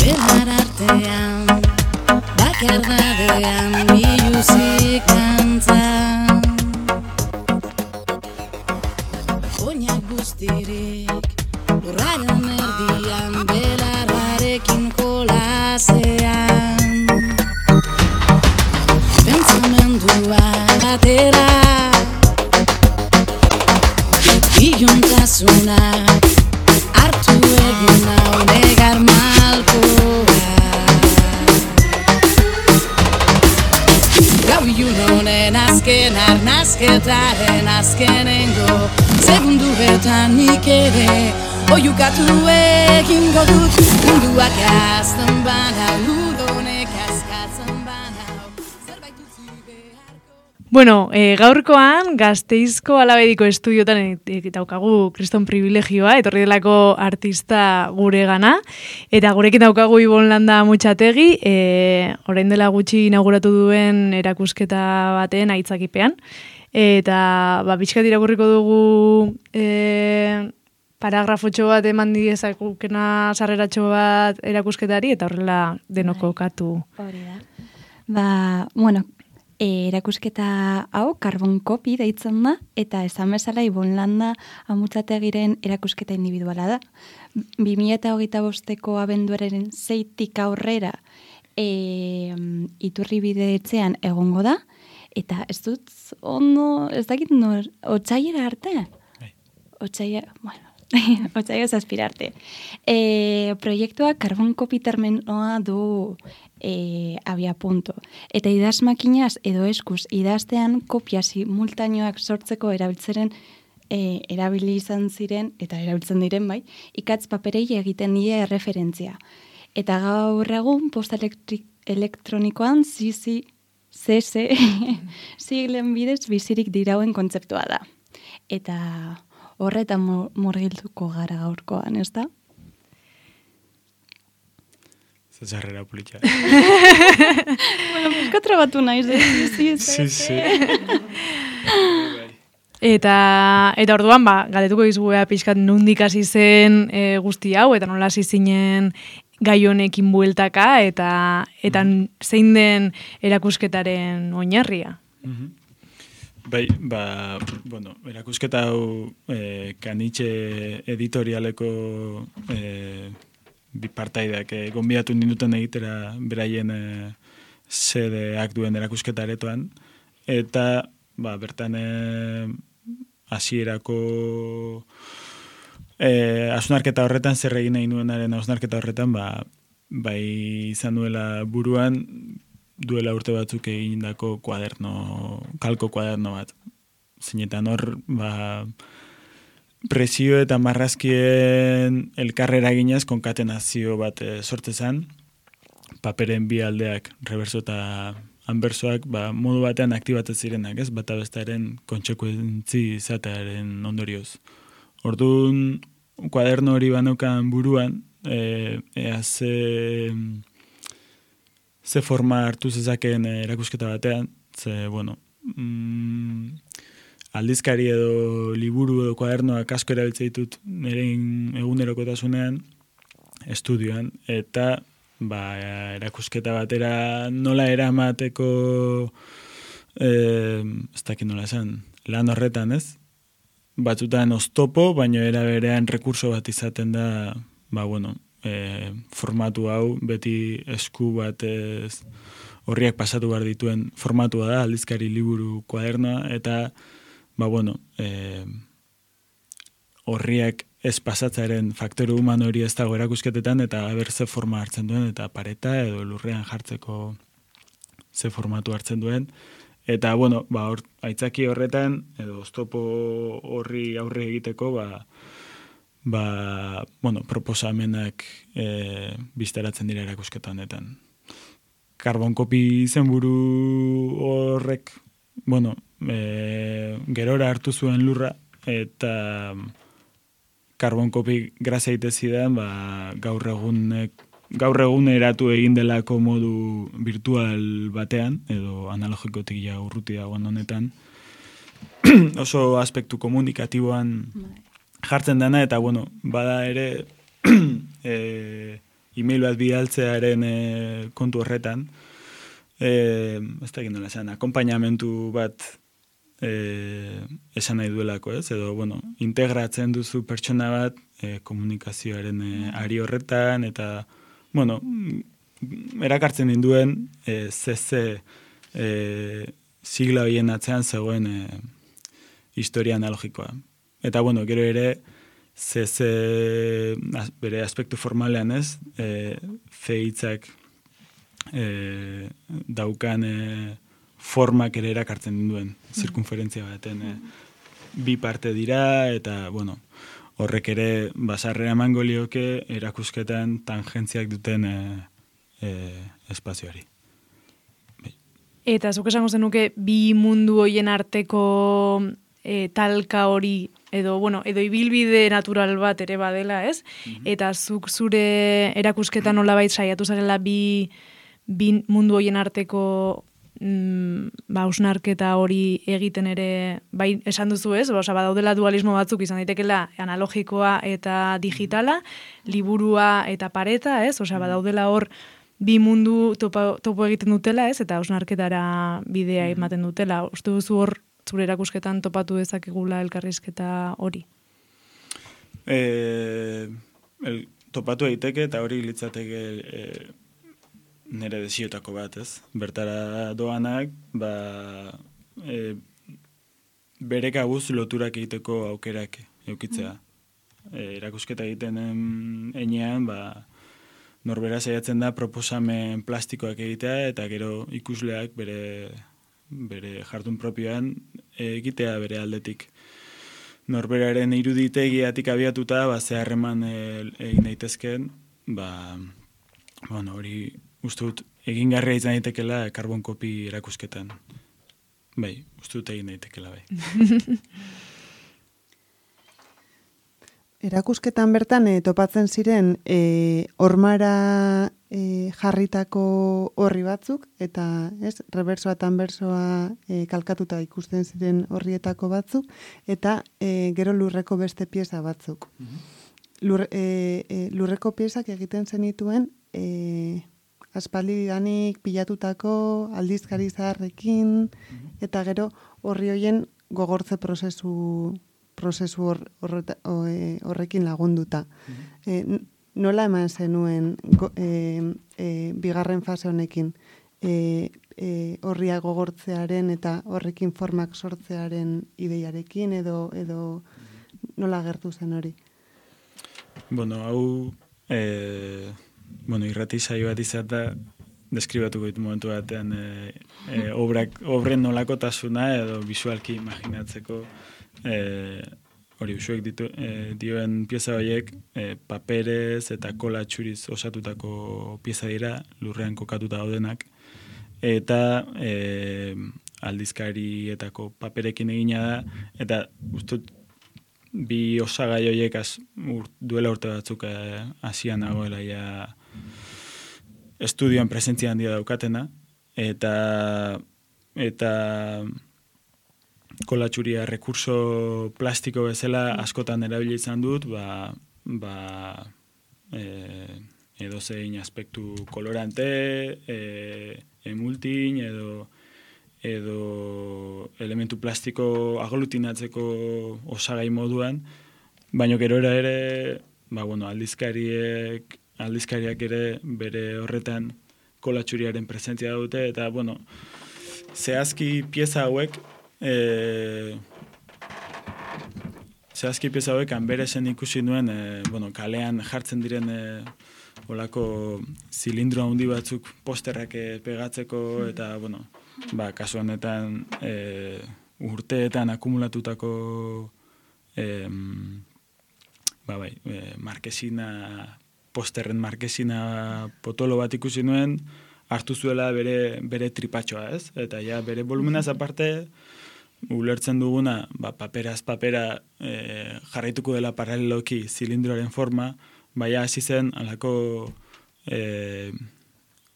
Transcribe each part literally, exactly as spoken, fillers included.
Belar artean, bakardadean, biluzik dantzan. Oinak guztirik, lurraren erdian, belarrarekin kolasean. Pentsamendua atera, iluntasuna hartu egin hau negar malkoa. Gau ilun honen azken arnazketaren azkenengo segunduetan nik ere oiukatu egingo dut. Munduak azten bana, ludonek azkatzen bana, zerbait utzi beharko. Bueno, e, gaurkoan Gasteizko Alabediko estudiotan e, daukagu kriston privilegioa, etorri delako artista gure gana, eta gurekin daukagu Ibon Landa Mutxategi, e, orain dela gutxi inauguratu duen erakusketa baten aitzakipean, eta ba, pixkat irakurriko dugu e, paragrafotxo bat eman diezakukena sarreratxo bat erakusketari, eta horrela denoko katu. Hori da. Ba, bueno, E, erakusketa hau Carbon Copy deitzen da, eta esan bezala Ibon Landa Amutzategiren erakusketa individuala da. bi mila hogeita bosteko abenduaren seitik aurrera e, Iturribide etxean egongo da, eta ez dut ondo, ez dakit nor, otsaiera arte? Otsaiera, bueno, otsaia zazpira arte. E, proiektua Carbon Copy terminoa du e, abia punto. Eta idazmakinaz edo eskuz idaztean kopia simultaneoak sortzeko erabiltzeren e, erabili izan ziren, eta erabiltzen diren bai, ikatz paperei egiten die erreferentzia. Eta gaur egun posta elektri- elektronikoan C C C C siglen bidez bizirik dirauen kontzeptua da. Eta horretan murgilduko gara gaurkoan, ez da? Zazarrera politxa. Bueno, piskatra batu naiz, eh? Sí, sí. Eta, eta orduan, ba, galdetuko dizuea pixkat nondik hasi zen e, guzti hau, eta nola hasi zinen gai honekin bueltaka, eta, eta zein den erakusketaren oinarria. Mm-hmm. Bai, ba, bueno, erakusketa hau e, Kanitxe editorialeko e, bi partaideak e, gonbidatu ninduten egitera beraien e, sedeak duen erakusketa aretoan, eta ba, bertan e, hasierako e, hausnarketa horretan, zer egin nahi nuenaren hausnarketa horretan, ba, bai izan duela buruan, duela urte batzuk egindako kuaderno, kalko kuaderno bat. Zeinetan hor, ba, presio eta marrazkien elkarrera ginez konkatenazio bat e, sortzezan, paperen bi aldeak, reverso eta anbersoak, ba, modu batean aktibatzen zirenak, ez? Bata bestaren kontsekuentzi izatearen ondorioz. Orduan, kuaderno hori banaukan buruan, e, ea ze... ze forma hartu zezakeen erakusketa batean, ze, bueno, mm, aldizkari edo liburu edo kuadernoak asko erabiltzen ditut nire egunerokotasunean, estudioan, eta ba, erakusketa batera nola eramateko, eh, ez dakit nola esan, lan horretan, ez? Batzutan oztopo, baina era berean rekurso bat izaten da, ba, bueno, E, formatu hau, beti esku batez horriak pasatu behar dituen formatua da, aldizkari liburu kuadernoa, eta, ba, bueno, e, horriak ez pasatzaren faktore humano hori ez dago erakusketetan, eta haber ze forma hartzen duen, eta pareta edo lurrean jartzeko ze formatu hartzen duen, eta, bueno, ba, or, aitzaki horretan, edo oztopo horri aurre egiteko, ba, ba, bueno, proposamenak e, biztaratzen dira erakusketa honetan. Carbon Copy izenburu horrek, bueno, e, gerora hartu zuen lurra, eta Carbon Copy grazia itezidan, ba, gaur egunek, gaur egun eratu egin delako modu virtual batean, edo analogikotik ja urruti dagoen honetan, oso aspektu komunikatiboan jartzen dena, eta, bueno, bada ere e, e-mail bat bidaltzearen e, kontu horretan, e, ez da egin nola esan, akompainamentu bat e, esan nahi duelako, ez? Edo, bueno, integratzen duzu pertsona bat e, komunikazioaren e, ari horretan, eta, bueno, erakartzen dinduen e, ze ze e, sigla horien atzean zegoen e, historia analogikoa. Eta, bueno, gero ere, ze ze bere aspektu formalean ez, e, ze hitzak e, daukan e, formak ere erakartzen duen, zirkunferentzia baten e, bi parte dira, eta, bueno, horrek ere basarrea emango lioke erakusketan tangentziak duten e, e, espazioari. Eta zuk esango zenuke bi mundu hoien arteko e, talka hori, edo, bueno, edo ibilbide natural bat ere badela, ez? Mm-hmm. Eta zuk zure erakusketa nolabait saiatu zarela bi, bi mundu hoien arteko mm, ba, hausnarketa hori egiten ere, bai esan duzu, ez? Osa, badaudela dualismo batzuk izan daitekela analogikoa eta digitala, liburua eta pareta, ez? Osa, badaudela hor bi mundu topo, topo egiten dutela, ez? Eta hausnarketara bidea ematen dutela. Uste duzu hor zure erakusketan topatu dezakegula elkarrizketa hori? E, el, topatu egiteke eta hori litzateke e, nire desiotako bat, ez? Bertara doanak, ba, e, bere kabuz loturak egiteko aukerak eukitzea. E, erakusketa egiten enean, ba, norbera saiatzen da proposamen plastikoak egitea eta gero ikusleak bere, bere jardun propioan egitea bere aldetik. Norberaren iruditegiatik abiatuta, ba, ze harreman egin daitezken, ba, bueno, hori uste dut egingarria izan daitekela karbon kopi erakusketan. Bai, uste dut egin daitekela, bai. Erakusketan bertan e, topatzen ziren e, ormara e, jarritako horri batzuk, eta ez, reversoa eta anbersoa e, kalkatuta ikusten ziren horrietako batzuk, eta e, gero lurreko beste pieza batzuk. Mm-hmm. Lur, e, e, lurreko piezak egiten zenituen e, aspaldidanik pilatutako aldizkari zaharrekin, mm-hmm. eta gero horri hoien gogortze prozesu prozesu hor, horreta, horrekin lagunduta. Mm-hmm. E, nola eman zenuen go, e, e, bigarren fase honekin e, e, horria gogortzearen eta horrekin formak sortzearen ideiarekin edo edo nola gertu zen hori? Bueno, hau e, bueno, irrati saio bat izan da deskribatuko ditu momentu batean e, e, obrak, obren nolakotasuna edo visualki imaginatzeko Eh, hori usuek ditu, eh, dioen pieza horiek eh, paperez eta kola txuriz osatutako pieza dira, lurrean kokatuta daudenak, eta eh, aldizkarietako paperekin egina da, eta ustut bi osagai horiek az, ur, duela urte batzuk hasian eh, nagoela ja estudioan presentzia handia daukatena, eta eta kolatxuria rekurso plastiko bezala askotan erabili izan dut, ba, ba e, edo zein aspektu kolorante, e, emultin, edo, edo elementu plastiko aglutinatzeko osagai moduan, baina gero ere, ba, bueno, aldizkariek, aldizkariak ere bere horretan kolatxuriaren presentzia dute, eta, bueno, zehazki pieza hauek, E, zehazki pieza hauek hanberesen ikusi nuen e, bueno, kalean jartzen diren e, olako zilindro handi batzuk posterrak e, pegatzeko eta bueno, ba, kasu honetan e, urteetan akumulatutako e, ba, bai, e, markesina, posterren markesina potolo bat ikusi nuen, hartu zuela bere, bere tripatxoa, ez? Eta ja bere volumenaz aparte ulertzen duguna, ba, paperaz papera e, jarraituko dela paraleloki zilindroaren forma, baina hasi zen alako e,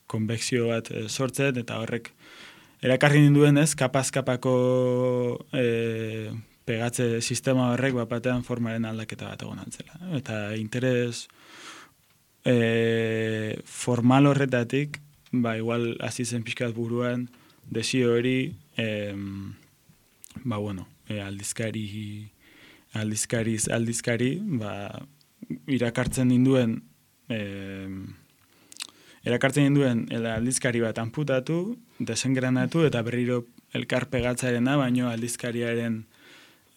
konvekzio bat e, sortzen, eta horrek erakarri ninduen ez, kapaz-kapako e, pegatze sistema horrek bapatean formaren aldaketa bat egon antzela. Eta interes e, formal horretatik, ba, igual hasi zen pixkat buruan, desio hori, em, ba, bueno, e, aldizkari, aldizkariz, aldizkari, ba, irakartzen ninduen, em, erakartzen duen aldizkari bat anputatu, desengranatu eta berriro elkarpegatzarena, baino aldizkariaren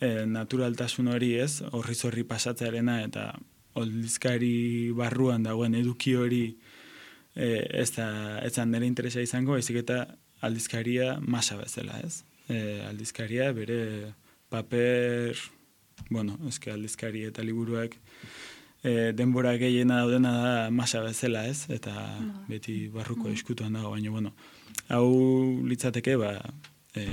e, naturaltasun hori ez, horri zorri pasatzearena eta aldizkari barruan dagoen eduki hori e, ez da, ez da nire interesa izango, ezik eta aldizkaria masa bezala ez. E, aldizkaria bere paper, bueno, eske aldizkari eta liburuak E, denbora gehiena daudena da masa bezala ez, eta no. beti barruko no. eskutuan dago, baina, bueno, hau litzateke, ba, e,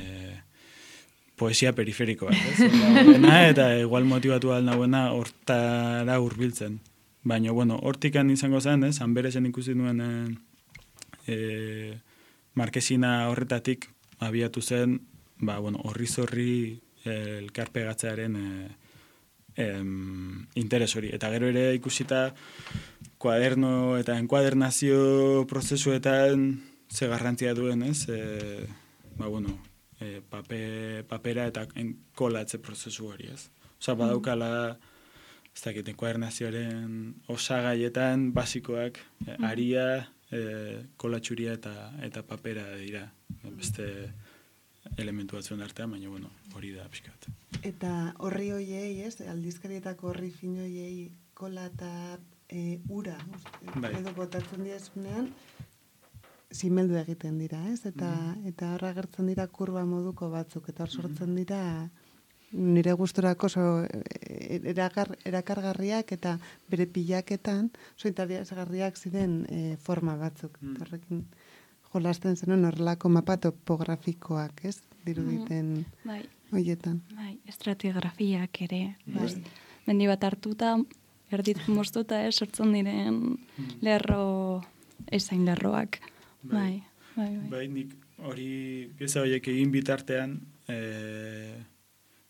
poesia periferiko bat, ez? Dena, eta igual motibatu ahal nagoena hortara hurbiltzen. Baina, bueno, hortikan izango zen, ez, Anberezen ikusi nuen e, e, markesina horretatik abiatu zen, ba, bueno, horri zorri e, elkarpegatzearen e, Em, interes hori. Eta gero ere ikusita kuaderno eta enkuadernazio prozesuetan ze garrantzia duen, ez? E, ba, bueno, e, pape, papera eta enkolatze prozesu hori, ez? Osa, badaukala, ez dakit, enkuadernazioaren osagaietan basikoak, e, aria, e, kolatxuria eta, eta papera dira. Beste elementu batzuen artean, baina, bueno, hori da pixkat. Eta horri hoiei, ez, aldizkarietako horri fin hoiei kola eta e, ura, bai. edo botatzen diazunean, simeldu egiten dira, ez? Eta mm. eta horra gertzen dira kurba moduko batzuk, eta hor sortzen dira nire gusturako oso erakar, erakargarriak eta bere pilaketan, oso interesgarriak ziren e, forma batzuk. Mm. Horrekin jolasten zenuen horrelako mapa topografikoak, ez? Diruditen mm, bai. Hoietan. Bai, estratigrafiak ere. Bai. Mendi bat hartuta, erdit moztuta, ez, sortzen diren lerro, ezain lerroak. Bai, bai, bai. Bai, nik hori pieza horiek egin bitartean, e,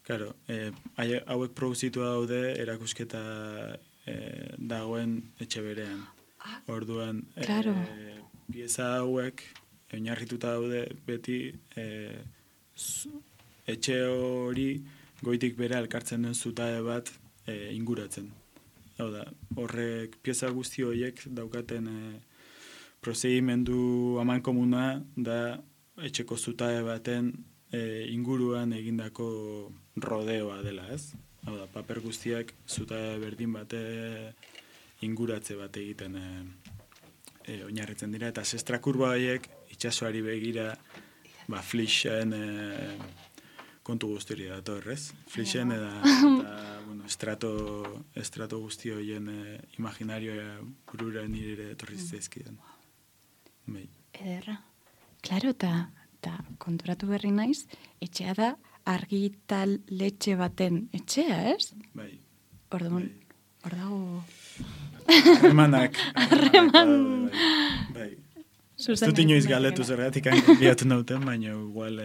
claro, e, hauek produzitu daude erakusketa e, dagoen etxe berean. Orduan, claro. e, pieza hauek oinarrituta daude beti e, etxe hori goitik bere alkartzen duen zutabe bat e, inguratzen. Hau da, horrek pieza guzti horiek daukaten e, prozedimentu aman komuna da etxeko zutabe baten e, inguruan egindako rodeoa dela, ez? Hau da, paper guztiak zutabe berdin bate inguratze bat egiten e, e, oinarritzen dira, eta zestra kurba horiek itsasoari begira ba, flixen e, kontu guztiri dator, ez? Flixen eta, eta bueno, estrato, estrato guzti horien e, imaginarioa burura nire etorri zizkidan. Bai. Ederra. Klaro, eta konturatu berri naiz, etxea da argitaletxe baten etxea, ez? Bai. Orduan, hor dago... Harremanak. Harreman. Bai. Ez dut inoiz galetu zergatik biatu nauten, baina igual,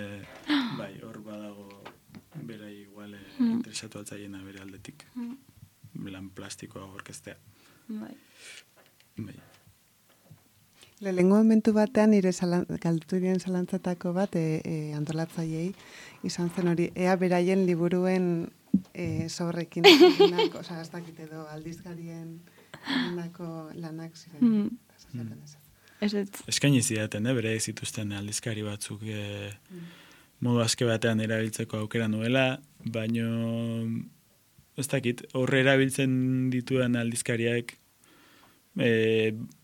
bai, hor badago bera igual mm. interesatu altzaiena bere aldetik. Mm. Lan plastikoa gorkeztea. Bai. Bai. Lehengo momentu batean, nire galdutu diren zalantzatako bat, e, e, antolatzaiei, izan zen hori, ea beraien liburuen e, zorrekin, oza, ez dakit edo, aldizkarien egindako lanak ziren. Mm. Ez ez. Eskaini zidaten, eh, bere zituzten aldizkari batzuk e, mm. modu aske batean erabiltzeko aukera nuela, baino ez dakit, horre erabiltzen dituen aldizkariak e,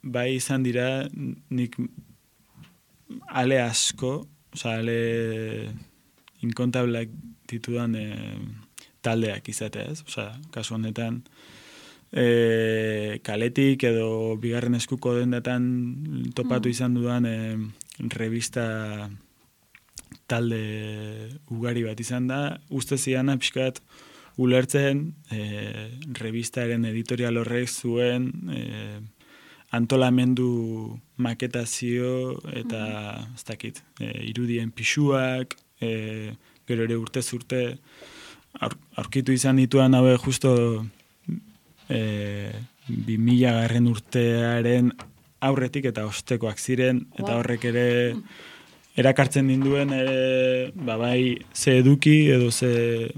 bai izan dira nik ale asko, oza, ale inkontablak ditudan e, taldeak izatea, ez? Oza, kasu honetan e, kaletik edo bigarren eskuko dendetan topatu izan dudan e, revista talde ugari bat izan da, uste ziana pixkat ulertzen e, revistaren editorial horrek zuen e, antolamendu maketazio eta ez dakit, e, irudien pixuak, e, gero ere urtez urte aur, aurkitu izan dituan haue justo e, bi mila garren urtearen aurretik eta ostekoak ziren, eta horrek ere erakartzen ninduen ere, ba, bai, ze eduki edo ze,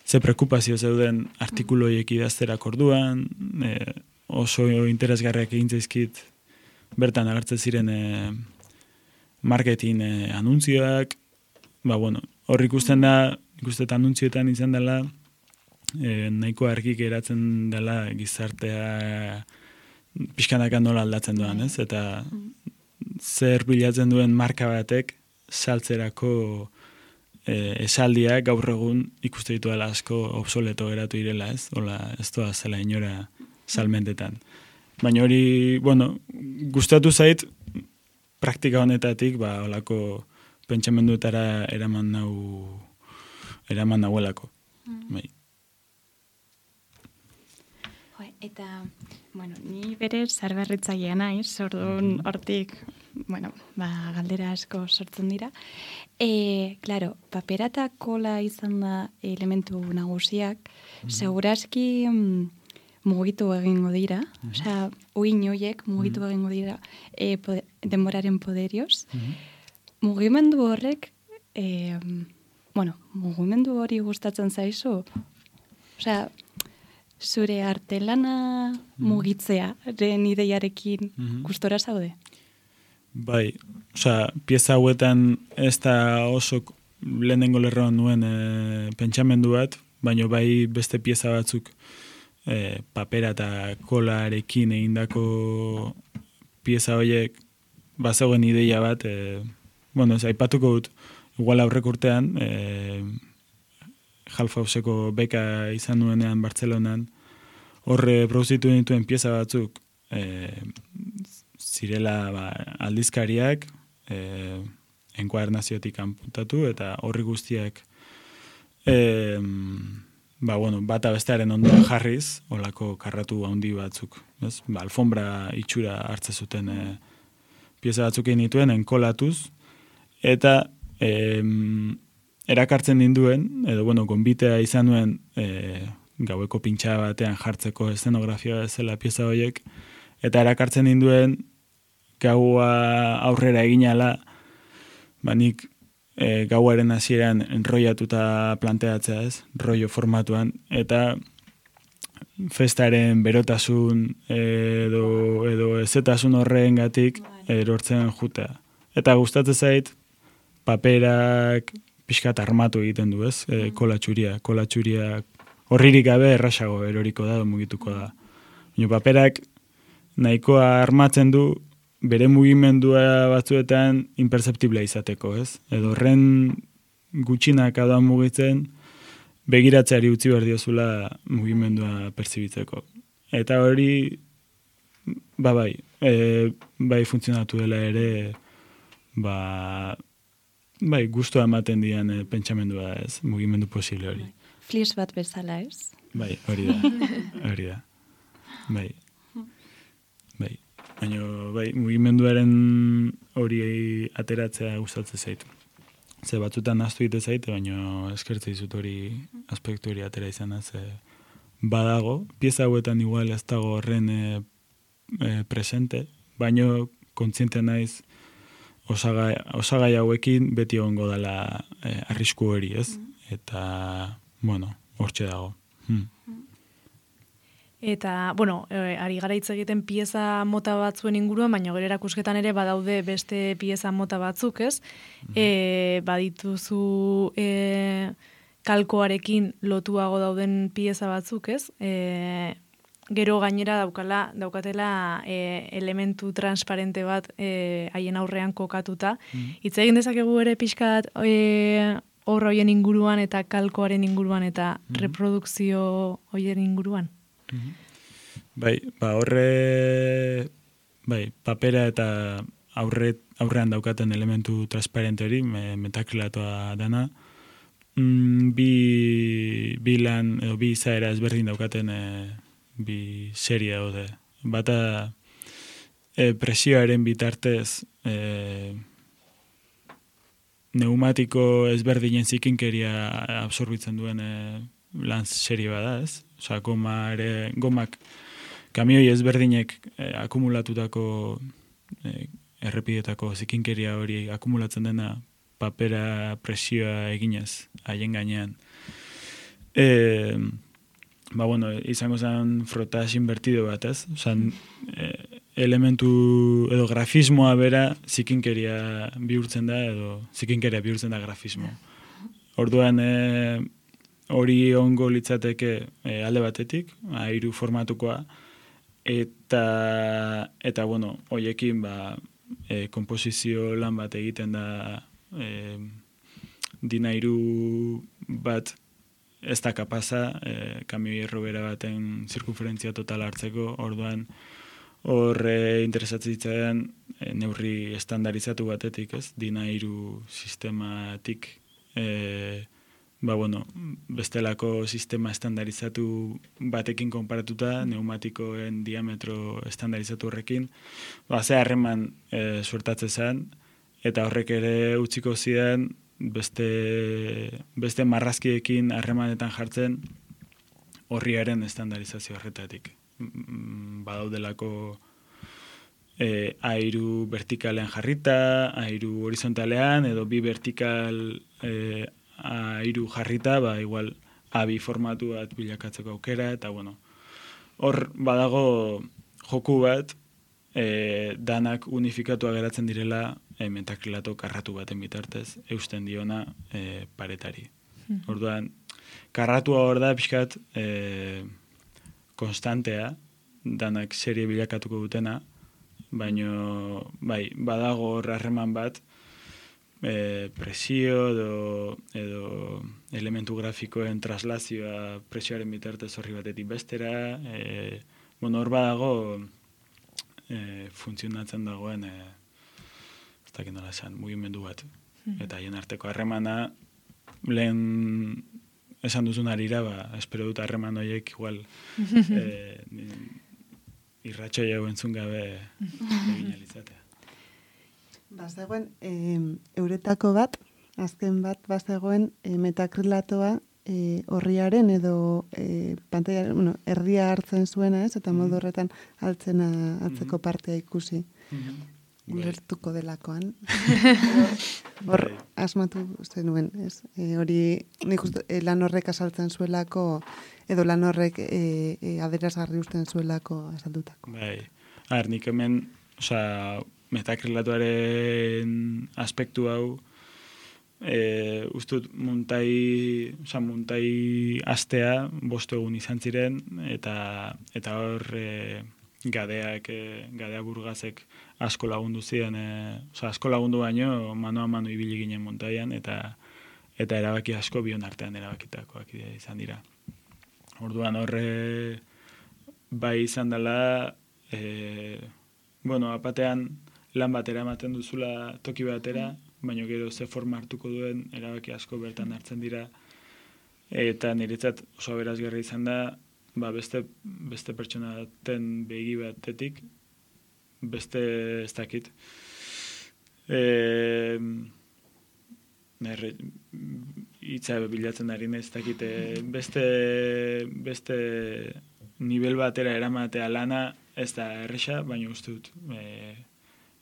ze preokupazio zeuden artikuloiek idazterak orduan, e, oso interesgarriak egin zaizkit bertan agertzen ziren e, marketing e, anuntzioak, ba, bueno, hor ikusten da, ikustet anuntzioetan izan dela, e, nahiko argik geratzen dela gizartea pixkanaka nola aldatzen duan, ez? Eta zer bilatzen duen marka batek saltzerako e, esaldiak gaur egun ikuste ditu dela asko obsoleto geratu direla, ez? Hola, ez doa zela inora salmentetan. Baina hori, bueno, gustatu zait praktika honetatik, ba, holako pentsamenduetara eraman nau eraman nauelako. Bai. Eta, bueno, ni bere zarberritzailea naiz, orduan hortik, bueno, ba, galdera asko sortzen dira. E, claro, papera eta kola izan da elementu nagusiak, mm-hmm. segurazki mm, mugitu egingo dira, mm-hmm. osea, uin hoiek mugitu mm-hmm. egingo dira e, pode, denboraren poderioz. Mm-hmm. Mugimendu horrek, e, bueno, mugimendu hori gustatzen zaizu, osea, zure artelana mugitzea, ren ideiarekin mm-hmm. gustora zaude? Bai, osea, pieza hauetan ez da oso lehenengo lerroan nuen e, pentsamendu bat, baina bai beste pieza batzuk e, papera eta kolarekin egindako pieza horiek bazegoen ideia bat, e, bueno, ez aipatuko dut, igual aurrek urtean, e, Halfauseko beka izan nuenean Bartzelonan, horre produzitu dituen pieza batzuk e, zirela ba, aldizkariak e, enkuadernaziotik kanputatu eta horri guztiak e, ba, bueno, bata bestearen ondoan jarriz, olako karratu handi batzuk. Ez? Ba, alfombra itxura hartze zuten e, pieza batzuk egin dituen enkolatuz, eta e, erakartzen ninduen, edo, bueno, gonbitea izan nuen e, gaueko pintxa batean jartzeko eszenografia zela pieza horiek, eta erakartzen ninduen gaua aurrera eginala, ba nik e, gauaren hasieran enroiatuta planteatzea ez, rollo formatuan, eta festaren berotasun edo, edo ezetasun horrengatik erortzen jutea. Eta gustatzen zait, paperak, pixkat armatu egiten du, ez? E, kolatxuria, kolatxuria horririk gabe errasago eroriko da, mugituko da. Baina paperak nahikoa armatzen du bere mugimendua batzuetan imperceptiblea izateko, ez? Edo horren gutxinak adoan mugitzen begiratzeari utzi behar diozula mugimendua pertsibitzeko. Eta hori, ba bai, e, bai funtzionatu dela ere, ba... Bai, gustua ematen dian e, pentsamendua ez, mugimendu posible hori. Flis bat bezala ez? Bai, hori da, hori da. Bai, bai. Baina, bai, mugimenduaren hori ateratzea gustatzen zaitu. Ze batzutan naztu egite zaite, baina eskertzea izut hori aspektu hori atera izan ze badago. Pieza hauetan igual ez dago horren e, e, presente, baina kontziente naiz Osagai, osagai hauekin beti egongo dela eh, arrisku hori, ez? Eta, bueno, hortxe dago. Hmm. Eta, bueno, e, ari gara hitz egiten pieza mota batzuen inguruan, baina gero erakusketan ere badaude beste pieza mota batzuk, ez? Mm-hmm. E, badituzu e, kalkoarekin lotuago dauden pieza batzuk, ez? E, Gero gainera daukala, daukatela e, elementu transparente bat e, haien aurrean kokatuta. Mm. Hitz egin dezakegu ere pixkat e, horra hoien inguruan eta kalkoaren inguruan eta mm. reprodukzio hoien inguruan. Mm-hmm. Bai, ba horre, bai, papera eta aurre, aurrean daukaten elementu transparente hori, me, metakrilatoa dana, mm, bi, bi lan, edo bi izaera ezberdin daukaten e, bi serie daude. Bata e, presioaren bitartez e, neumatiko ezberdinen zikinkeria absorbitzen duen e, lan serie bada, ez? Osa, goma ere, gomak kamioi ezberdinek eh, akumulatutako eh, errepidetako zikinkeria hori akumulatzen dena papera presioa eginez haien gainean. E, ba, bueno, izango zen frotas invertido bat, ez? Osan, e, elementu edo grafismoa bera zikinkeria bihurtzen da edo zikinkeria bihurtzen da grafismo. Orduan e, hori ongo litzateke e, alde batetik, hiru formatukoa, eta, eta bueno, hoiekin ba, e, komposizio lan bat egiten da e, dina hiru bat ez da kapaza, e, kamioi errobera baten zirkunferentzia total hartzeko, orduan hor e, interesatzen zitzaidan e, neurri estandarizatu batetik, ez? Dina hiru sistematik e, ba, bueno, bestelako sistema estandarizatu batekin konparatuta, neumatikoen diametro estandarizatu horrekin, ba, ze harreman e, suertatzen zen, eta horrek ere utziko zidan beste, beste marrazkiekin harremanetan jartzen horriaren estandarizazio horretatik. Badaudelako e, airu vertikalean jarrita, airu horizontalean, edo bi vertikal e, airu jarrita, ba, igual abi formatu bat bilakatzeko aukera, eta bueno, hor badago joku bat, e, danak unifikatua geratzen direla e, metakrilato karratu baten bitartez, eusten diona e, paretari. Mm. Orduan, karratua hor da pixkat e, konstantea, danak serie bilakatuko dutena, baino, bai, badago hor harreman bat, E, presio edo, edo elementu grafikoen traslazioa presioaren bitartez horri batetik bestera, e, bueno, hor badago e, funtzionatzen dagoen e, ez dakit nola esan, mugimendu bat. Mm-hmm. Eta haien arteko harremana lehen esan duzun arira, ba, espero dut harreman horiek igual e, irratxo jau entzun gabe egin alizatea. Bazegoen, e, euretako bat, azken bat, bazegoen e, metakrilatoa e, horriaren edo e, pantaiaren, bueno, erdia hartzen zuena, ez? Eta modu horretan altzena, altzeko partea ikusi. Ulertuko delakoan. Hor, asmatu zenuen, ez? E, hori, nik uste, e, lan horrek asaltzen zuelako, edo lan horrek e, e, aderazgarri usten zuelako asaldutako. Bai, ar, nik hemen, oza, metakrilatuaren aspektu hau e, ustut muntai, oza, muntai astea bostu egun izan ziren eta eta hor e, gadeak, e, gadea burgazek asko lagundu ziren, e, oza, asko lagundu baino mano a mano ibili ginen muntaian eta eta erabaki asko bion artean erabakitakoak izan dira. Orduan horre bai izan dela e, bueno, apatean lan batera ematen duzula toki batera, baina gero ze forma hartuko duen erabaki asko bertan hartzen dira. Eta niretzat oso aberasgarri izan da, ba beste, beste pertsonaten begi batetik, beste ez dakit. E, Nerre, itza bilatzen ari ez dakit, beste, beste nivel batera eramatea lana ez da erresa, baina uste dut e,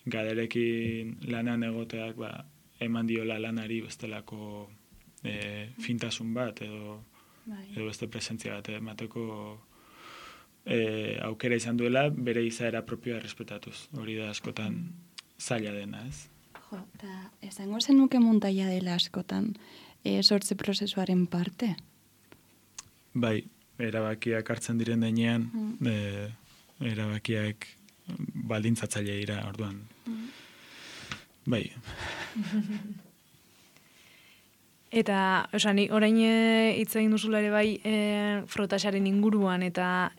gaderekin lanan egoteak ba, eman diola lanari bestelako e, fintasun bat edo, edo beste presentzia bat emateko e, aukera izan duela bere izaera propioa respetatuz. Hori da askotan zaila dena, ez? Jo, eta esango zenuke muntaia dela askotan e, sortze prozesuaren parte? Bai, erabakiak hartzen diren denean, mm. e, erabakiak baldintzatzaile dira, orduan. Mm. Bai. Eta, oza, ni orain hitz egin duzula ere bai e, frotasaren inguruan, eta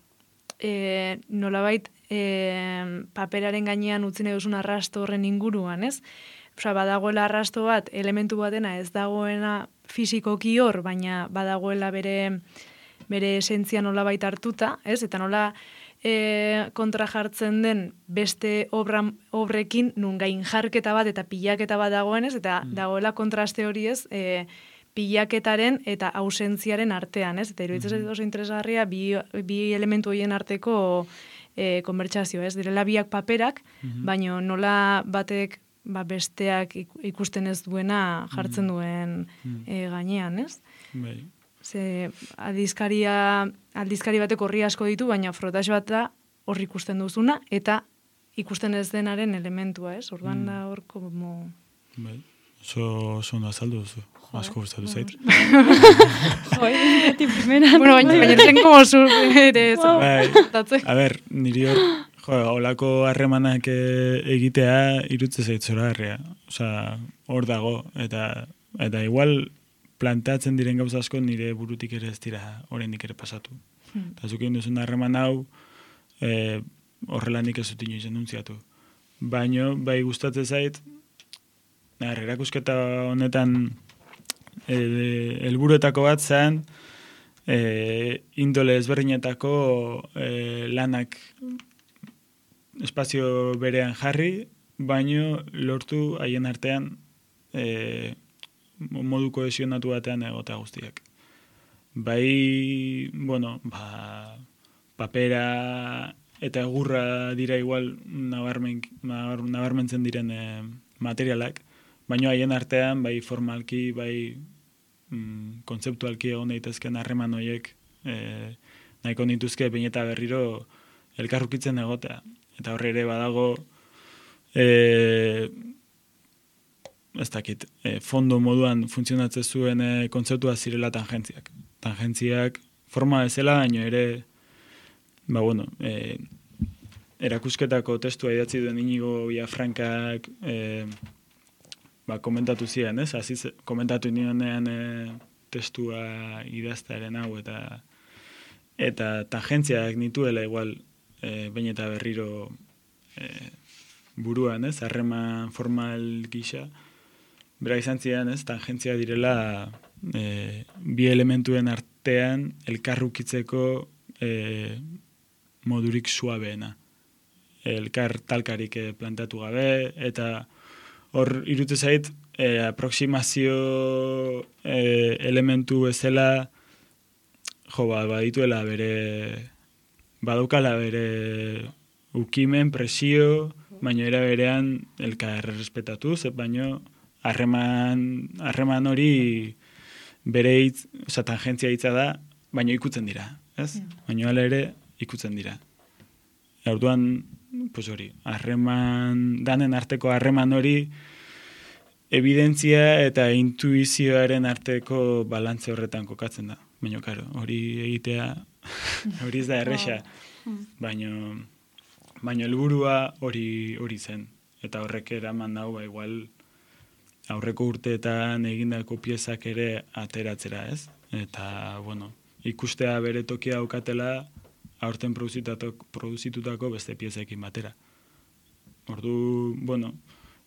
e, nolabait e, paperaren gainean utzi nahi duzun arrasto horren inguruan, ez? Osa, badagoela arrasto bat, elementu batena ez dagoena fisikoki hor, baina badagoela bere bere esentzia nolabait hartuta, ez? Eta nola e, kontra jartzen den beste obra, obrekin nun gain jarketa bat eta pilaketa bat dagoenez, eta mm. dagoela kontraste hori ez, e, pilaketaren eta ausentziaren artean, ez? Eta iruditzen mm. oso interesgarria bi, bi elementu horien arteko e, konbertsazio, ez? Direla biak paperak, Mhm. baina nola batek ba, besteak ikusten ez duena jartzen duen e, gainean, ez? Bai. Ze aldizkaria, aldizkari batek horri asko ditu, baina frotaxe bat da horri ikusten duzuna, eta ikusten ez denaren elementua, ez? Orduan da hor, como... Bai. Oso, oso ondo azaldu duzu. Asko gustatu zait. Joi, beti primeran. Bueno, baina baina zen como zu ere ez. Bai. A ber, niri hor, jo, holako harremanak eh, egitea irutze zait zoragarria. Osea, hor dago, eta eta igual planteatzen diren gauza asko nire burutik ere ez dira oraindik ere pasatu. Hmm. Eta zuk egin duzun harreman hau, eh, horrela nik ez dut inoiz enuntziatu. Baino, bai gustatzen zait, Nar, erakusketa honetan helburuetako bat zen e, indole ezberdinetako e, lanak espazio berean jarri, baino lortu haien artean e, modu kohesionatu batean egotea guztiak. Bai, bueno, ba, papera eta egurra dira igual nabarmen, nabarmentzen diren e, materialak, baina haien artean, bai formalki, bai mm, kontzeptualki egon daitezken harreman horiek e, nahiko nituzke behin eta berriro elkarrukitzen egotea. Eta horre ere badago, e, ez dakit, e, fondo moduan funtzionatzen zuen e, kontzeptua zirela tangentziak. Tangentziak forma bezala, baina ere, ba bueno, e, erakusketako testua idatzi duen Inigo Villafrancak e, ba, komentatu ziren, ez? Aziz, komentatu nionean e, testua idaztearen hau, eta eta tangentziak nituela igual e, behin eta berriro e, buruan, ez? Harreman formal gisa. Bera izan ziren, ez? Tangentzia direla e, bi elementuen artean elkarrukitzeko e, modurik suabeena. Elkar talkarik e, plantatu gabe, eta hor irute zait, e, aproximazio e, elementu bezala, jo, ba, badituela bere, badaukala bere ukimen, presio, baino era berean elkar respetatuz, baino harreman harreman hori bere hitz, oza, tangentzia hitza da, baino ikutzen dira, ez? Yeah. Baino hala ere ikutzen dira. Orduan, pues hori, harreman, danen arteko harreman hori, evidentzia eta intuizioaren arteko balantze horretan kokatzen da. Baina, karo, hori egitea, hori ez da erresa, baino, baino helburua hori hori zen. Eta horrek eraman dau, ba, igual, aurreko urteetan egindako piezak ere ateratzera, ez? Eta, bueno, ikustea bere tokia aukatela, aurten produzitutako beste piezekin batera. Ordu, bueno,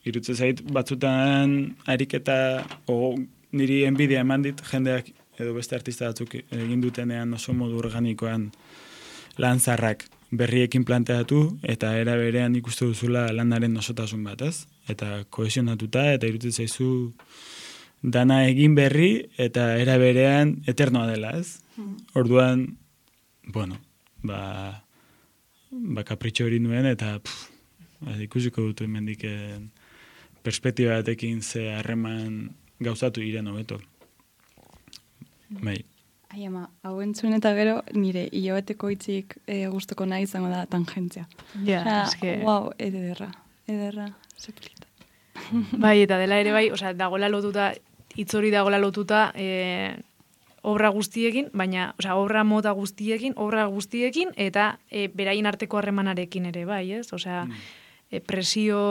irutze zait batzutan ariketa, o niri enbidia eman dit, jendeak edo beste artista batzuk egin dutenean oso modu organikoan lanzarrak berriekin planteatu, eta era berean ikustu duzula lanaren osotasun bat, ez? Eta kohesionatuta, eta irutze zaizu dana egin berri, eta era berean eternoa dela, ez? Orduan, bueno, ba, ba kapritxo hori nuen, eta pff, ikusiko dut hemendik perspektiba batekin ze harreman gauzatu iren hobeto. Bai. Ai ama, hau entzun eta gero nire hilabeteko hitzik e, gustuko nahi izango da tangentzia. Ja, Osea, eske... Wow, ederra, ederra, zeplita. Bai, eta dela ere bai, osea, dagoela lotuta, hitz hori dagoela lotuta, e, obra guztiekin, baina, osea, obra mota guztiekin, obra guztiekin, eta e, beraien arteko harremanarekin ere, bai, ez? Osea, mm. e, presio,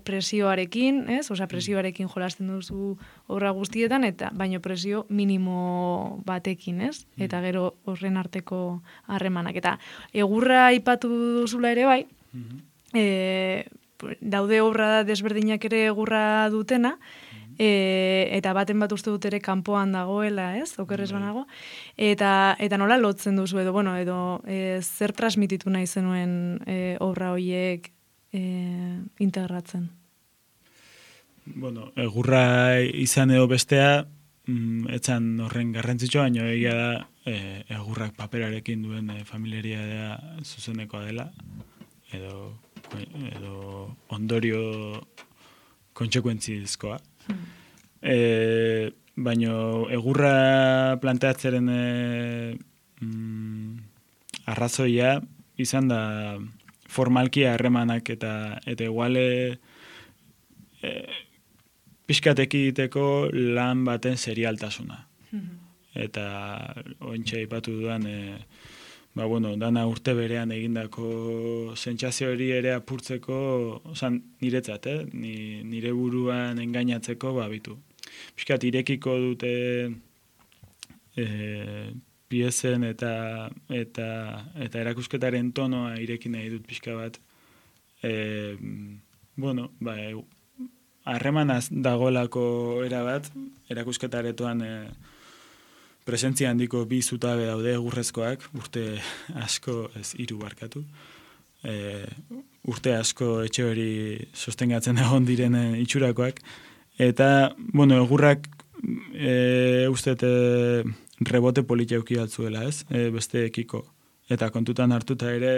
presioarekin, ez? Osea, presioarekin jolasten duzu obra guztietan, eta baino presio minimo batekin, ez? Mm. Eta gero horren arteko harremanak. Eta egurra aipatu duzula ere, bai, mm-hmm. e, daude obra desberdinak ere egurra dutena, E, eta baten bat uste dut ere kanpoan dagoela, ez? Okerrez banago. Eta, eta nola lotzen duzu edo, bueno, edo e, zer transmititu nahi zenuen e, obra horiek e, integratzen? Bueno, egurra izan edo bestea, mm, etzan horren garrantzitsua, baina egia da e, egurrak paperarekin duen e, familiaria da zuzenekoa dela, edo, edo ondorio kontsekuentzizkoa. Hmm. E, baina egurra planteatzeren e, mm, arrazoia izan da formalki harremanak eta eta iguale e, pixkateki egiteko lan baten serialtasuna. Mm-hmm. Eta ointxe aipatu dudan e, ba, bueno, dana urte berean egindako sentsazio hori ere apurtzeko, osan niretzat, eh? Ni, nire buruan engainatzeko babitu. Piskat irekiko dute e, piezen eta eta eta erakusketaren tonoa ireki nahi dut pixka bat. E, bueno, ba, harremanaz dagoelako erabat, erakusketaretoan e, presentzia handiko bi zutabe daude egurrezkoak, urte asko ez hiru barkatu. E, urte asko etxe hori sostengatzen egon diren itxurakoak. Eta, bueno, egurrak e, uste rebote politia euki altzuela, ez? E, beste ekiko. Eta kontutan hartuta ere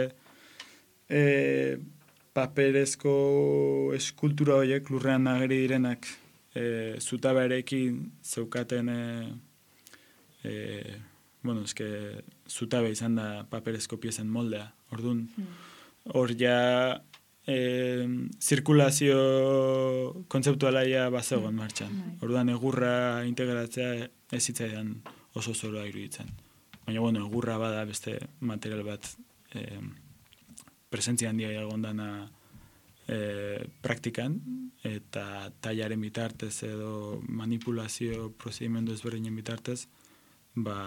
e, paperezko eskultura horiek lurrean nageri direnak e, zutabearekin zeukaten e, e, bueno, eske zutabe izan da paperezko piezen moldea. Orduan, hor mm. ja e, zirkulazio kontzeptualaia bazegoen martxan. Mm. Orduan, egurra integratzea ez zitzaidan oso zoroa iruditzen. Baina, bueno, egurra bada beste material bat e, presentzia handia egondana e, praktikan, eta tailaren bitartez edo manipulazio prozedimendu ezberdinen bitartez, ba,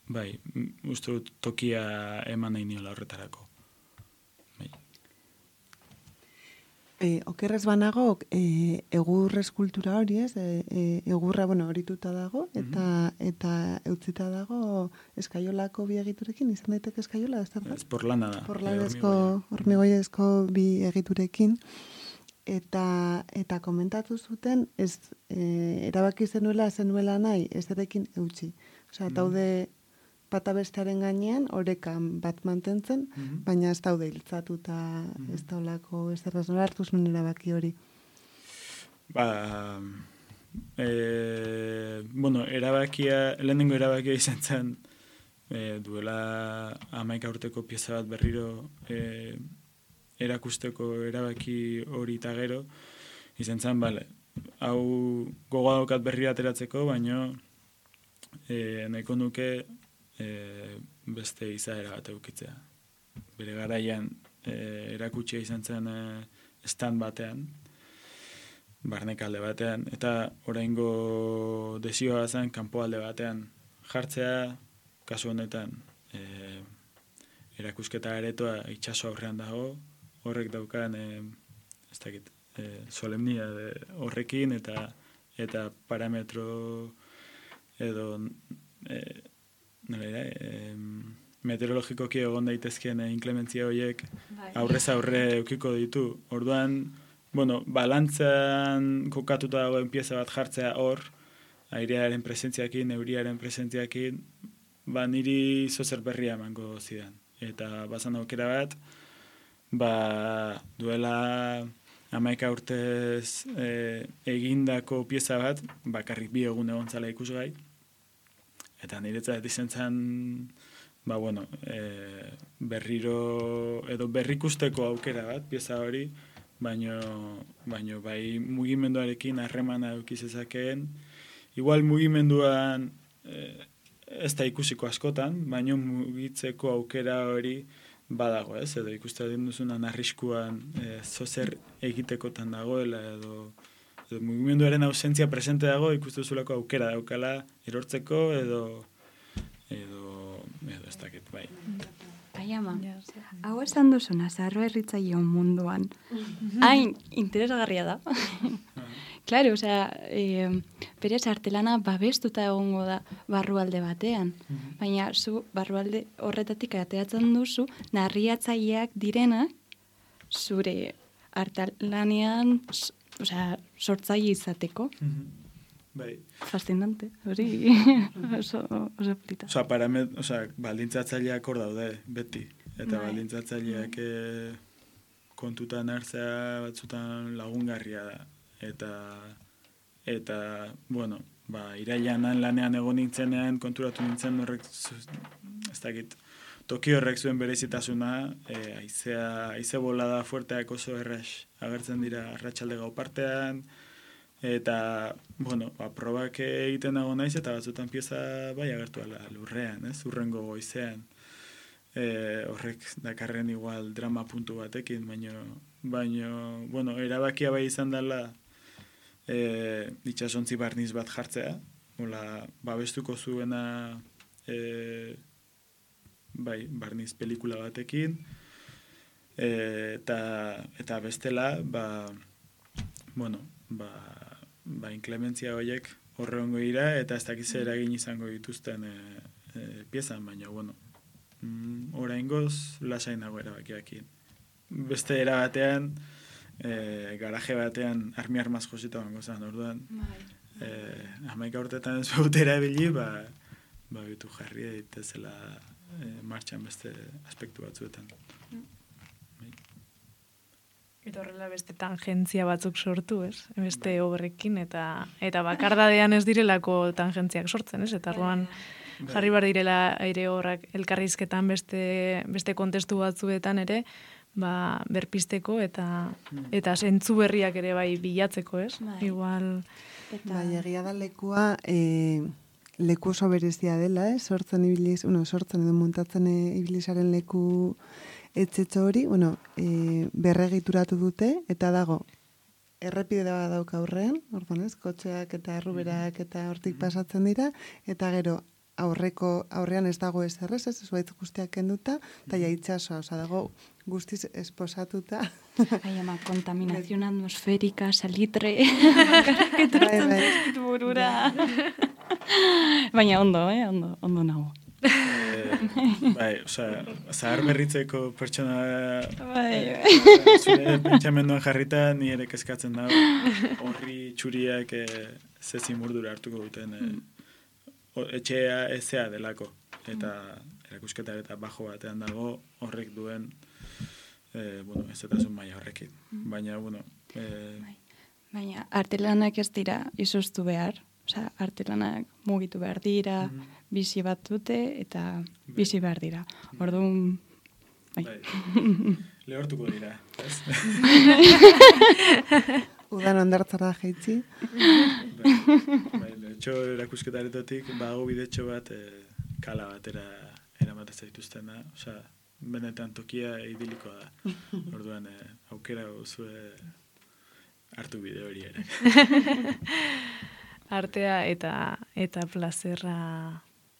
bai, uste dut tokia eman nahi niola horretarako. Bai. E, okerrez banago, e, egur eskultura hori ez, e, e, egurra, bueno, horituta dago, eta mm-hmm. eta eutzita dago eskaiolako bi egiturekin, izan daiteke eskaiola, ez da? Ez porlana da. Porlanezko, hormigoiezko bi egiturekin, eta eta komentatu zuten, ez e, erabaki zenuela, zenuela nahi, ez erekin eutxi. Osea, mm-hmm. daude bata bestearen gainean, orekan bat mantentzen, mm-hmm. baina ez daude hiltzatuta, mm-hmm. ez daulako, ez erraz nola hartu zuen erabaki hori. Ba, e, bueno, erabakia, lehenengo erabakia izan zen, e, duela hamaika urteko pieza bat berriro e, erakusteko erabaki hori eta gero, izan zen, bale, hau gogoa daukat berri ateratzeko, baina e, nahiko nuke E, beste izaera bat eukitzea. Bere garaian e, erakutsia izan zen e, stand batean, barnekalde batean, eta oraingo desioa zen kanpoalde batean jartzea, kasu honetan e, erakusketa aretoa itsaso aurrean dago, horrek daukan e, ez dakit, e, solemnia de, horrekin eta eta parametro edo e, Nolera, eh, meteorologikoki egon daitezkeen inklementzia horiek aurrez aurre eukiko ditu. Orduan, bueno, balantzan kokatuta dagoen pieza bat jartzea hor, airearen presentziakin, euriaren presentziakin, ba niri zozer berria emango zidan. Eta bazan aukera bat, ba duela hamaika urtez e, egindako pieza bat, bakarrik bi egun egon zala ikusgai, eta niretzat izan zen, ba, bueno, e, berriro, edo berrikusteko aukera bat, pieza hori, baino, baino bai mugimenduarekin harremana eukizezakeen, igual mugimenduan e, ez da ikusiko askotan, baino mugitzeko aukera hori badago, ez? Edo ikusten duzunan arriskuan e, zozer egitekotan dagoela, edo edo mugimenduaren ausentzia presente dago, ikustuzulako aukera daukala erortzeko edo edo edo ez dakit, bai. Ai ama, hau esan duzuna, Zarro Herritzaileon munduan, hain interesgarria da. Claro, osea, eh, berez artelana babestuta egongo da barrualde batean, baina zu barrualde horretatik ateratzen duzu, narriatzaileak direnak zure artelanean, osea, sortzaile izateko. Bai. Fascinante, hori oso, oso polita. Osa, paramet, osa, baldintzatzaileak hor daude, beti. Eta Bai. baldintzatzaileak eh, kontutan hartzea batzutan lagungarria da. Eta, eta bueno, ba, irailanan lanean egon nintzenean konturatu nintzen horrek, ez dakit, toki horrek zuen berezitasuna, e, aizea, aize bolada fuerteak oso erraz agertzen dira arratsalde gau partean, eta, bueno, ba, probak egiten dago naiz, eta batzutan pieza bai agertu ala lurrean, ez, urrengo goizean. E, horrek dakarren igual drama puntu batekin, baino, baino, bueno, erabakia bai izan dela e, itxasontzi barniz bat jartzea, hola, babestuko zuena e, bai, barniz pelikula batekin, e, eta, eta bestela, ba, bueno, ba, ba inklementzia horiek horrengo dira, eta ez dakiz eragin izango dituzten e, e, piezan, baina, bueno, mm, oraingoz lasain nago erabakiakin. Beste era batean, e, garaje batean armi armaz josita bango zen, orduan, e, hamaika urtetan ez bautera ebili, ba, ba bitu jarri daitezela e, martxan beste aspektu batzuetan. Eta horrela beste tangentzia batzuk sortu, ez? Beste obrekin, eta eta bakardadean ez direlako tangentziak sortzen, ez? Eta orduan jarri bar direla aire horrak elkarrizketan beste, beste kontestu batzuetan ere, ba, berpisteko eta eta zentzu berriak ere bai bilatzeko, ez? Bai. Igual... Eta... Bai, egia da lekua, e, leku oso berezia dela, eh? Sortzen ibiliz, bueno, sortzen edo muntatzen e, ibilizaren leku etxetxo hori, bueno, e, berregituratu dute, eta dago, errepide da dauka aurrean, orduan ez, kotxeak eta erruberak eta hortik pasatzen dira, eta gero, aurreko aurrean ez dago ez errez, ez, zuaitz guztiak kenduta, eta ja itxasoa, oza, dago guztiz esposatuta. Ai, ama, kontaminazion atmosferika, salitre, Bai, bai. burura. Baina ondo, eh, ondo, ondo nago. E, bai, osea, zahar berritzeko pertsona Bai, e, zure pentsamenduan jarrita ni ere kezkatzen dago horri txuriak e, ze zimurdura hartuko duten e, o, etxea ezea delako eta erakusketa eta bajo batean dago horrek duen e, bueno, ez eta zun maia horrekin, baina bueno e, baina artelanak ez dira izoztu behar. Osea, artelanak mugitu behar dira, mm -hmm. bizi bat dute eta bizi behar dira. Orduan, bai. bai. Lehortuko dira, ez? Udan ondartzara jaitzi. bai, bai, etxo erakusketaretotik, bago bidetxo bat e, kala batera eramaten zaituztena, osea, benetan tokia idilikoa da. Orduan, e, aukera zue hartu bide hori ere. Artea eta eta plazerra,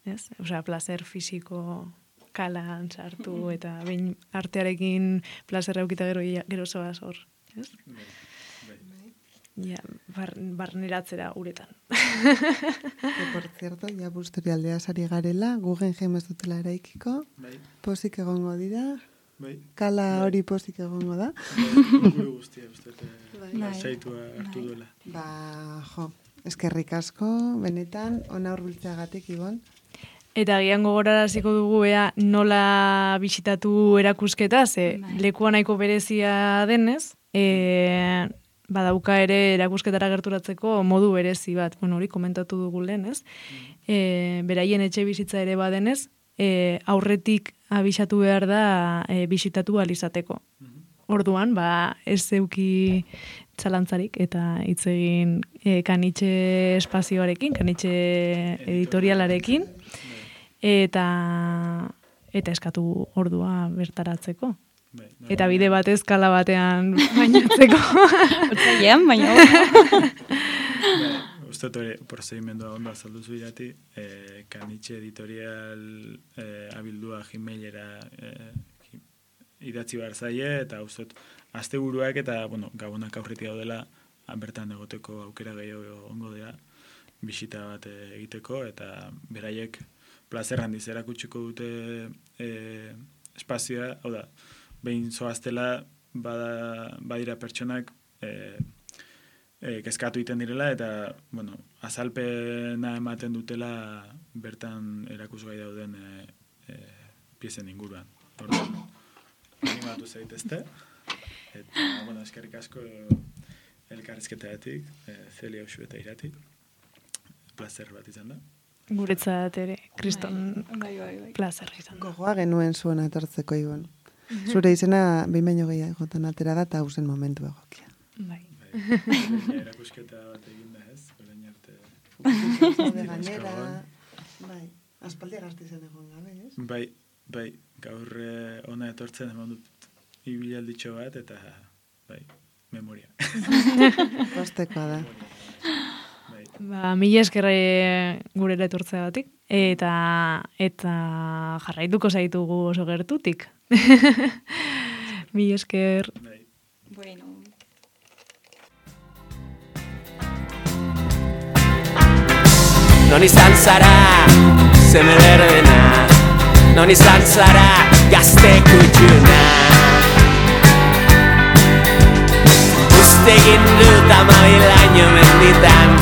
ez? Osea, plazer fisiko kalan sartu eta behin artearekin plazerra eukita gero gero zoaz hor, ez? Bai, bai. Ja, bar, barneratzera uretan. Que, por cierto, ja busturialdea sari garela, Guggenheim ez dutela eraikiko, Bai, pozik egongo dira, bai. kala hori pozik egongo da. Bai, gure guztia, uste, Bai. lasaitua hartu Bai. duela. Ba, jo, eskerrik asko, benetan, ona hurbiltzeagatik, Ibon. Eta gian gogoraraziko dugu ea nola bisitatu erakusketa, ze Bai. lekua nahiko berezia denez, e, badauka ere erakusketara gerturatzeko modu berezi bat, bueno, hori komentatu dugu lehen, ez? E, beraien etxe bizitza ere badenez, e, aurretik abisatu behar da e, bisitatu alizateko. Orduan, ba, ez zeuki txalantzarik eta hitz egin e, kanitxe espazioarekin, kanitxe editorialarekin, eta eta eskatu ordua bertaratzeko. Bai, Eta bide batez kala batean bainatzeko. Otzailean, baina bai, uste hori prozedimendua ondo azaldu zu irati, eh, kanitxe editorial eh, abildua gmailera eh, idatzi behar zaie, eta uste asteburuak eta, bueno, gabonak aurretik daudela, bertan egoteko aukera gehiago ongo dira, bisita bat egiteko, eta beraiek plazer handiz erakutsiko dute e, espazioa, hau da, behin zoaztela bada, badira pertsonak e, e, kezkatu iten direla, eta, bueno, azalpena ematen dutela bertan erakusgai dauden e, e, piezen inguruan. Orduan, animatu zaitezte. Eta, bueno, eskerrik asko elkarrizketatik, e, Celia Uxu eta Irati. Plazer bat izan da. Guretzat ere, Kriston Bai, bai, bai. plazerra izan da. Gogoa genuen zuen etortzeko, Ibon. Zure izena behin baino gehiagotan atera da, eta hausen momentu egokia. Bai. Bai, erakusketa bat egin da ez, orain arte. Zaude gainera, bai, aspaldi gazte izan egon gabe, ez? Bai, bai, gaur eh, ona etortzen eman dut ibilalditxo bat, eta, bai, memoria. Postekoa da. Bai. Ba, mila eskerre gurera etortzea batik, eta, eta jarraituko zaitugu oso gertutik. Mila esker. Bai. Bueno. Non izan zara, zeme berdena, non izan zara, gazte kutxuna. Uztegin dut amabilaino menditan,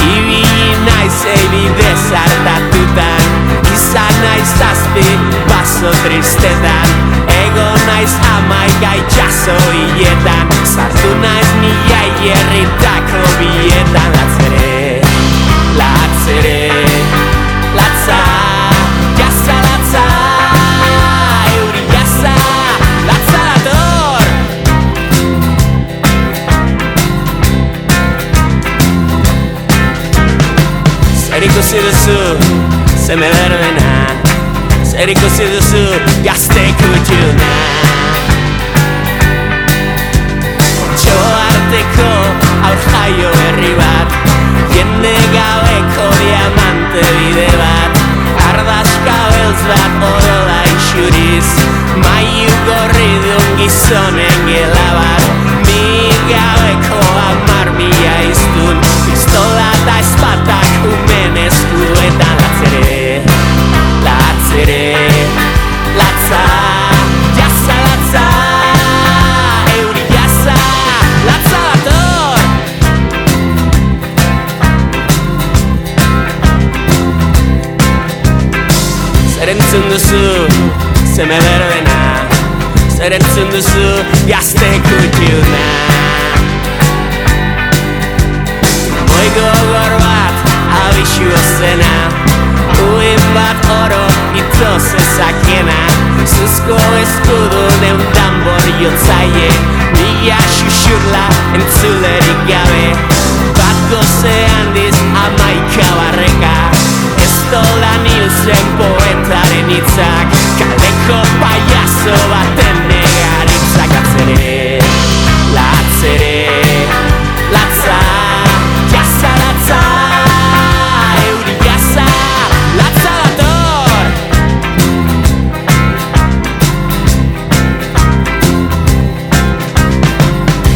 ibili naiz ebide zartatutan, izan naiz zazpi baso tristetan, ego naiz amaika itxaso hiletan, sartu naiz mila hierritako bietan, latzere, latzere, latza, jasa latza, euri jasa, latza dator. Zer ikusi duzu, zeme berdena, zer ikusi duzu, gazte kutxuna. Otxo arteko aur jaio berri bat, jende gabeko diamante bide bat, ardazka beltz bat odola isuriz, maiu gorri duen gizonen gela bat, mi gabeko amar mila iztun, pistola eta espatak umen eskuetan, latzere, latzere, latza, jasa latza, euri jasa, latza dator. Zer entzun duzu, zeme berdena, zer entzun duzu, gazte kutxuna. Moi gogor bat, abixu ozena, uin bat oro ito zezakena, zuzko eskudu neundan boriotzaie, mila xuxurla entzulerik gabe, bat goze handiz amaika barreka, ez dolan hilzen poetaren hitzak, kaleko paiazo baten negaritzak, latzere, latzere, latza, jasa latza, euri jasa, latza dator.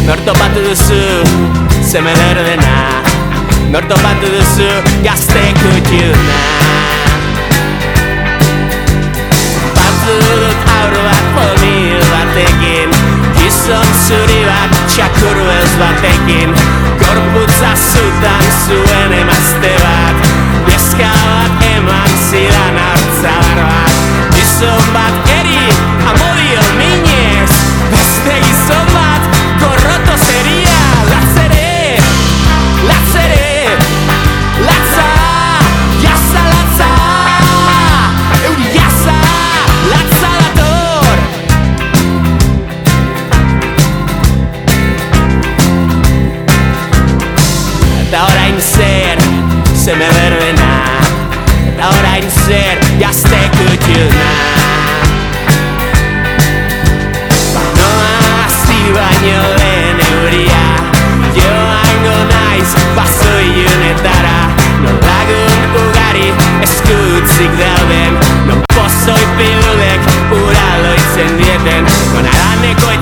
Nor topatu duzu, zeme berdena, nor topatu duzu, gazte kutxuna. Batu dut aur bat pomil batekin, gizon zuri bat txakur beltz batekin, gorputza zutan zuen emazte bat, neska bat eman zidan hartzadar bat, gizon bat eri amodio minez, beste gizon bat gorroto zeria, latzere, latzere, latza, jasa latza, euri jasa, latza dator. Eta orain zer, zeme berdena, eta orain zer, gazte kutxuna. Noa hasi baino lehen euria, joango naiz baso ilunetara, non lagun ugari eskutzik dauden, non pozoi pilulek ura loitzen dieten, non araneko